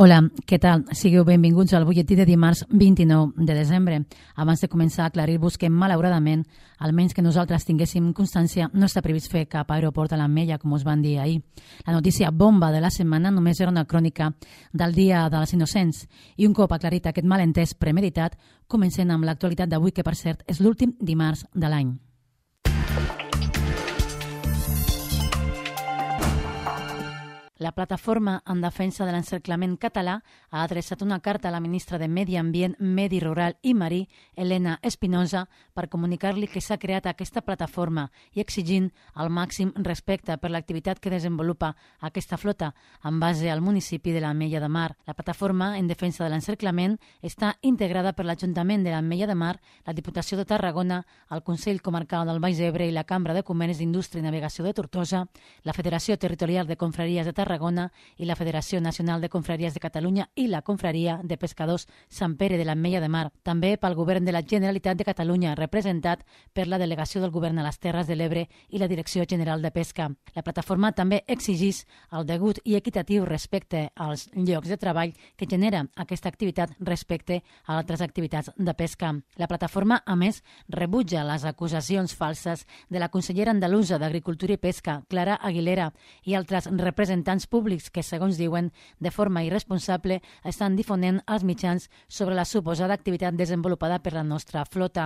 Hola, què tal? Sigueu benvinguts al butlletí de dimarts 29 de desembre. Abans de començar a aclarir-vos que, malauradament, almenys que nosaltres tinguéssim constància, no està previst fer cap aeroport a l'Ametlla, com us van dir ahir. La notícia bomba de la setmana només era una crònica del Dia dels Innocents. I un cop aclarit aquest malentès premeditat, comencem amb l'actualitat d'avui, que per cert és l'últim dimarts de l'any. La plataforma en defensa de l'encerclament català ha adreçat una carta a la ministra de Medi Ambient, Medi Rural i Marí, Elena Espinosa, per comunicar-li que s'ha creat aquesta plataforma i exigint el màxim respecte per l'activitat que desenvolupa aquesta flota en base al municipi de l'Ametlla de Mar. La plataforma en defensa de l'encerclament està integrada per l'Ajuntament de l'Ametlla de Mar, la Diputació de Tarragona, el Consell Comarcal del Baix Ebre i la Cambra de Comerç, Indústria i Navegació de Tortosa, la Federació Territorial de Confraries de Tarragona i la Federació Nacional de Confraries de Catalunya i la Confraria de Pescadors Sant Pere de l'Ametlla de Mar. També pel Govern de la Generalitat de Catalunya, representat per la Delegació del Govern a les Terres de l'Ebre i la Direcció General de Pesca. La plataforma també exigeix el degut i equitatiu respecte als llocs de treball que genera aquesta activitat respecte a altres activitats de pesca. La plataforma, a més, rebutja les acusacions falses de la consellera andalusa d'Agricultura i Pesca, Clara Aguilera, i altres representants públics que, segons diuen, de forma irresponsable estan difonent als mitjans sobre la suposada activitat desenvolupada per la nostra flota.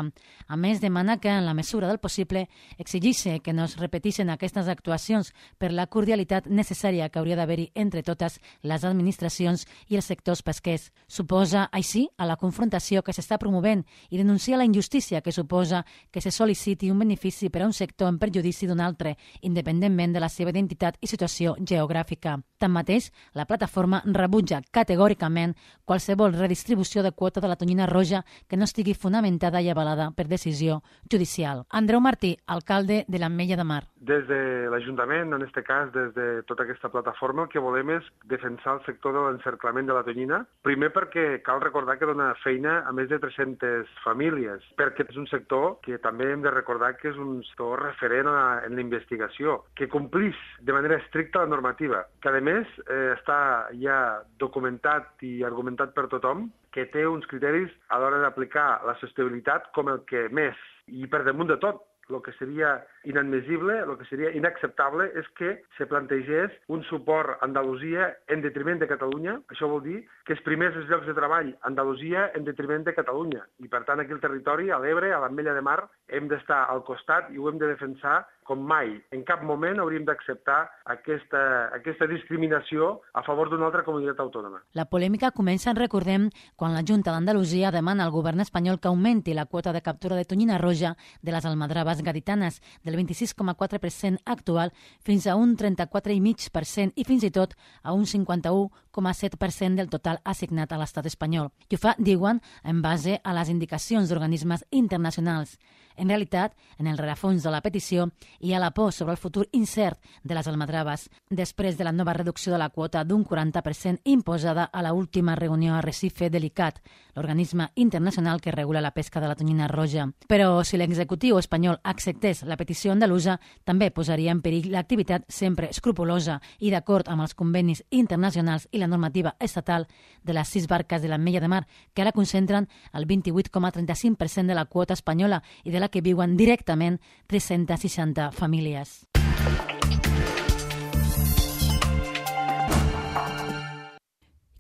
A més, demana que, en la mesura del possible, exigeixi que no es repetissin aquestes actuacions per la cordialitat necessària que hauria d'haver-hi entre totes les administracions i els sectors pesquers. Suposa, així, a la confrontació que s'està promovent i denuncia la injustícia que suposa que se sol·liciti un benefici per a un sector en perjudici d'un altre, independentment de la seva identitat i situació geogràfica. Tanmateix, la plataforma rebutja categòricament qualsevol redistribució de quota de la tonyina roja que no estigui fonamentada i avalada per decisió judicial. Andreu Martí, alcalde de l'Ametlla de Mar. Des de l'Ajuntament, en aquest cas, des de tota aquesta plataforma, el que volem és defensar el sector de l'encerclament de la tonyina. Primer perquè cal recordar que dona feina a més de 300 famílies, perquè és un sector que també hem de recordar que és un sector referent en la investigació, que complís de manera estricta la normativa, que a més està ja documentat i argumentat per tothom, que té uns criteris a l'hora d'aplicar la sostenibilitat com el que més. I per damunt de tot, el que seria inadmissible, el que seria inacceptable és que se plantegés un suport a Andalusia en detriment de Catalunya. Això vol dir que es primers els llocs de treball a Andalusia en detriment de Catalunya. I per tant aquí al territori, a l'Ebre, a l'Ametlla de Mar, hem d'estar al costat i ho hem de defensar com mai. En cap moment hauríem d'acceptar aquesta discriminació a favor d'una altra comunitat autònoma. La polèmica comença, recordem, quan la Junta d'Andalusia demana al govern espanyol que augmenti la quota de captura de tonyina roja de les almadraves gaditanes del 26,4% actual fins a un 34,5% i fins i tot a un 51,7% del total assignat a l'estat espanyol. I ho fa, diuen, en base a les indicacions d'organismes internacionals. En realitat, en el rerefons de la petició hi ha la por sobre el futur incert de les almadraves després de la nova reducció de la quota d'un 40% imposada a l'última reunió a Recife de l'ICCAT, l'organisme internacional que regula la pesca de la tonyina roja. Però si l'executiu espanyol acceptés la petició andalusa, també posaria en perill l'activitat sempre escrupulosa i d'acord amb els convenis internacionals i la normativa estatal de les 6 barques de l'Ametlla de Mar, que ara concentren el 28,35% de la quota espanyola i de la que viuen directament 360 famílies.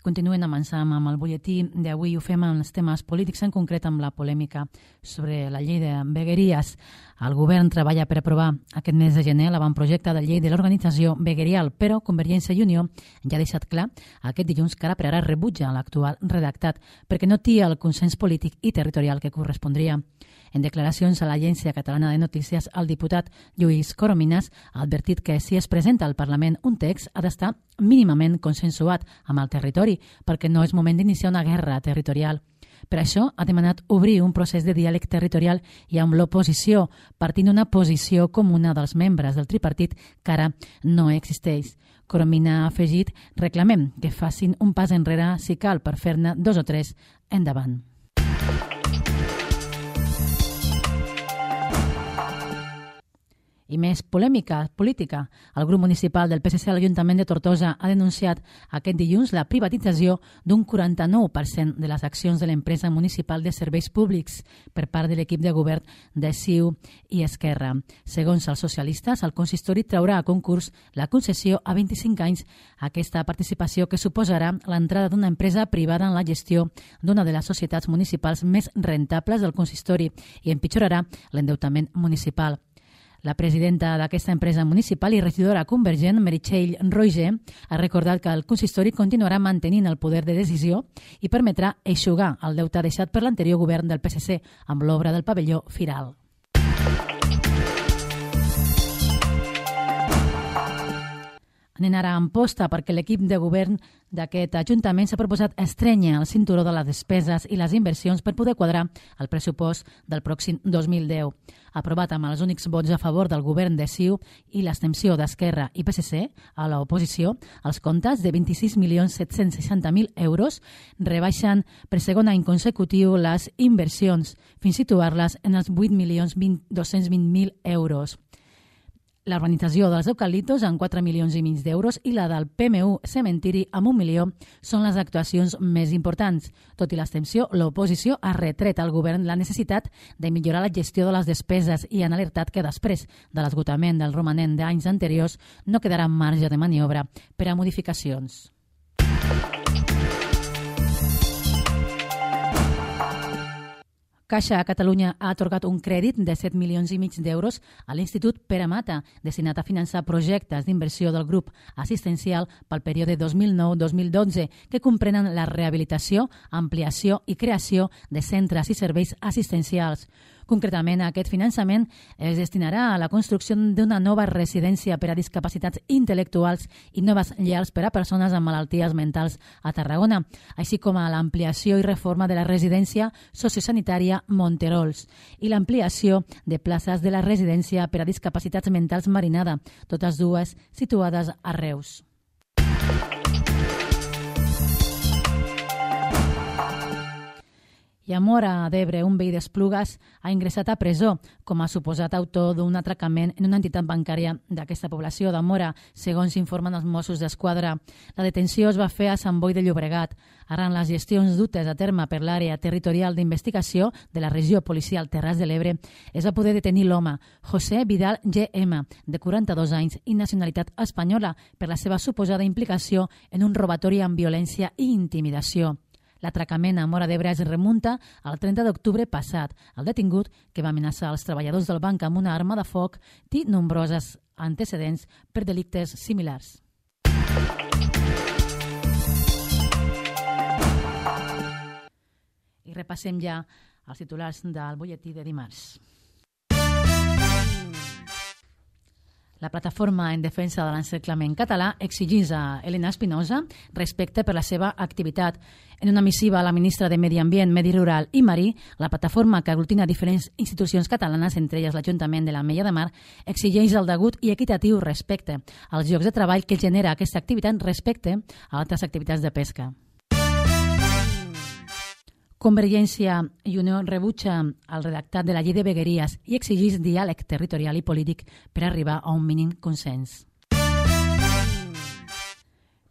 Continuen avançant amb el butlletí d'avui. Ho fem amb els temes polítics, en concret amb la polèmica sobre la llei de vegueries. El govern treballa per aprovar aquest mes de gener l'avantprojecte de llei de l'organització veguerial, però Convergència i Unió ja ha deixat clar aquest dilluns que ara per ara rebutja l'actual redactat perquè no té el consens polític i territorial que correspondria. En declaracions a l'Agència Catalana de Notícies, el diputat Lluís Corominas ha advertit que si es presenta al Parlament un text ha d'estar mínimament consensuat amb el territori perquè no és moment d'iniciar una guerra territorial. Per això ha demanat obrir un procés de diàleg territorial i amb l'oposició, partint d'una posició comuna dels membres del tripartit que ara no existeix. Coromina ha afegit: reclamem que facin un pas enrere si cal per fer-ne 2 o 3 endavant. I més polèmica política. El grup municipal del PSC a l'Ajuntament de Tortosa ha denunciat aquest dilluns la privatització d'un 49% de les accions de l'empresa municipal de serveis públics per part de l'equip de govern de CiU i Esquerra. Segons els socialistes, el consistori traurà a concurs la concessió a 25 anys aquesta participació que suposarà l'entrada d'una empresa privada en la gestió d'una de les societats municipals més rentables del consistori i empitjorarà l'endeutament municipal. La presidenta d'aquesta empresa municipal i regidora convergent, Meritxell Roger, ha recordat que el consistori continuarà mantenint el poder de decisió i permetrà eixugar el deute deixat per l'anterior govern del PSC amb l'obra del pavelló Firal. Anem ara a Amposta perquè l'equip de govern d'aquest ajuntament s'ha proposat estrènyer el cinturó de les despeses i les inversions per poder quadrar el pressupost del pròxim 2010. Aprovat amb els únics vots a favor del govern de CiU i l'extensió d'Esquerra i PSC a l'oposició, els comptes de 26.760.000 euros rebaixen per segon any consecutiu les inversions fins a situar-les en els 8.220.000 euros. La urbanització dels eucaliptos amb 4,5 milions d'euros i la del PMU Cementiri amb 1 milió són les actuacions més importants. Tot i l'abstenció, l'oposició ha retret al govern la necessitat de millorar la gestió de les despeses i han alertat que després de l'esgotament del romanent d'anys anteriors no quedarà marge de maniobra per a modificacions. Caixa Catalunya ha atorgat un crèdit de 7,5 milions d'euros a l'Institut Pere Mata, destinat a finançar projectes d'inversió del grup assistencial pel període 2009-2012, que comprenen la rehabilitació, ampliació i creació de centres i serveis assistencials. Concretament, aquest finançament es destinarà a la construcció d'una nova residència per a discapacitats intel·lectuals i noves llars per a persones amb malalties mentals a Tarragona, així com a l'ampliació i reforma de la residència sociosanitària Monterols i l'ampliació de places de la residència per a discapacitats mentals Marinada, totes dues situades a Reus. I a Móra d'Ebre, un veí d'Esplugues ha ingressat a presó com a suposat autor d'un atracament en una entitat bancària d'aquesta població de Móra, segons informen els Mossos d'Esquadra. La detenció es va fer a Sant Boi de Llobregat. Arran les gestions dutes a terme per l'àrea territorial d'investigació de la regió policial Terres de l'Ebre, es va poder detenir l'home, José Vidal GM, de 42 anys i nacionalitat espanyola, per la seva suposada implicació en un robatori amb violència i intimidació. L'atracament a Móra d'Ebre es remunta al 30 d'octubre passat. El detingut, que va amenaçar els treballadors del banc amb una arma de foc, té nombroses antecedents per delictes similars. I repassem ja els titulars del butlletí de dimarts. La plataforma en defensa de l'encerclament català exigeix a Elena Espinosa respecte per la seva activitat. En una missiva a la ministra de Medi Ambient, Medi Rural i Marí, la plataforma que aglutina diferents institucions catalanes, entre elles l'Ajuntament de l'Ametlla de Mar, exigeix el degut i equitatiu respecte als llocs de treball que genera aquesta activitat respecte a altres activitats de pesca. Convergència i Unió rebutja el redactat de la llei de vegueries i exigeix diàleg territorial i polític per arribar a un mínim consens.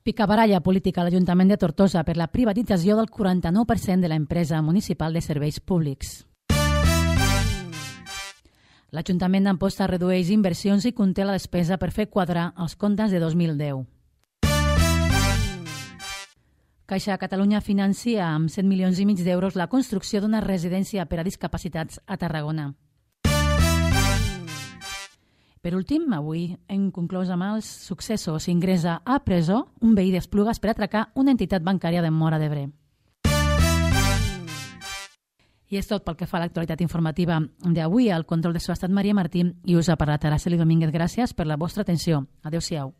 Picabaralla política a l'Ajuntament de Tortosa per la privatització del 49% de l'empresa municipal de serveis públics. L'Ajuntament d'Amposta redueix inversions i conté la despesa per fer quadrar els comptes de 2010. Caixa Catalunya financia amb 7,5 milions d'euros la construcció d'una residència per a discapacitats a Tarragona. Per últim, avui hem conclòs amb els successos. Ingressa a presó un veí d'Esplugues per atracar una entitat bancària de Móra d'Ebre. I és tot pel que fa a l'actualitat informativa d'avui. Al control de so ha estat Maria Martín i us ha parlat Araceli Domínguez. Gràcies per la vostra atenció. Adéu-siau.